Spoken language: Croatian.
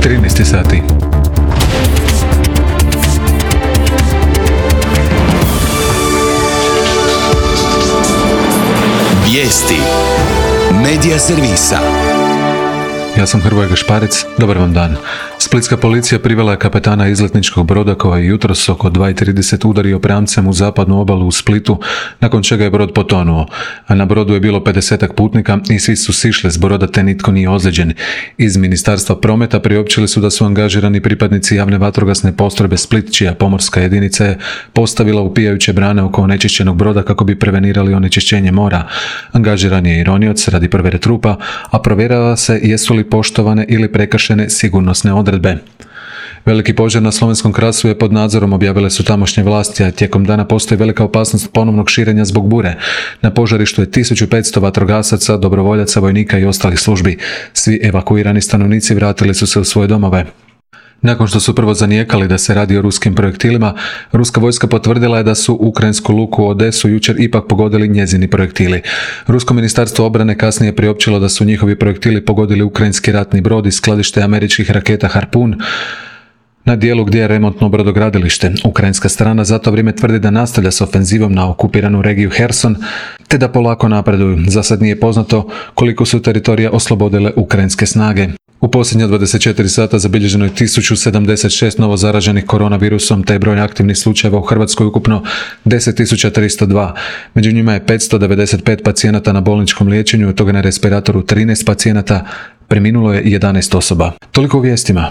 13 sati. Vijesti Medija servisa. Ja sam Hrvoje Gašparec, dobar vam dan. Splitska policija privela je kapetana izletničkog broda koji je jutros oko 2:30 udario pramcem u zapadnu obalu u Splitu, nakon čega je brod potonuo. A na brodu je bilo 50-ak putnika i svi su sišli s broda te nitko nije ozlijeđen. Iz Ministarstva prometa priopćili su da su angažirani pripadnici javne vatrogasne postrojbe Split, čija pomorska jedinica je postavila upijajuće brane oko onečišćenog broda kako bi prevenirali onečišćenje mora. Angažiran je i ronioc radi provjere trupa, a provjerava se jesu li poštovane ili prekršene sigurnosne odredbe. Veliki požar na Slovenskom Krasu je pod nadzorom, objavile su tamošnje vlasti, a tijekom dana postoji velika opasnost ponovnog širenja zbog bure. Na požarištu je 1500 vatrogasaca, dobrovoljaca, vojnika i ostalih službi. Svi evakuirani stanovnici vratili su se u svoje domove. Nakon što su prvo zanijekali da se radi o ruskim projektilima, ruska vojska potvrdila je da su ukrajinsku luku Odesu jučer ipak pogodili njezini projektili. Rusko ministarstvo obrane kasnije priopćilo da su njihovi projektili pogodili ukrajinski ratni brod i skladište američkih raketa Harpun na dijelu gdje je remontno brodogradilište. Ukrajinska strana za to vrijeme tvrdi da nastavlja s ofenzivom na okupiranu regiju Herson, te da polako napreduju. Za sad nije poznato koliko su teritorija oslobodile ukrajinske snage. U posljednja 24 sata zabilježeno je 1076 novo zaraženih koronavirusom, te je broj aktivnih slučajeva u Hrvatskoj ukupno 10.302. Među njima je 595 pacijenata na bolničkom liječenju, od toga na respiratoru 13 pacijenata, preminulo je 11 osoba. Toliko u vijestima.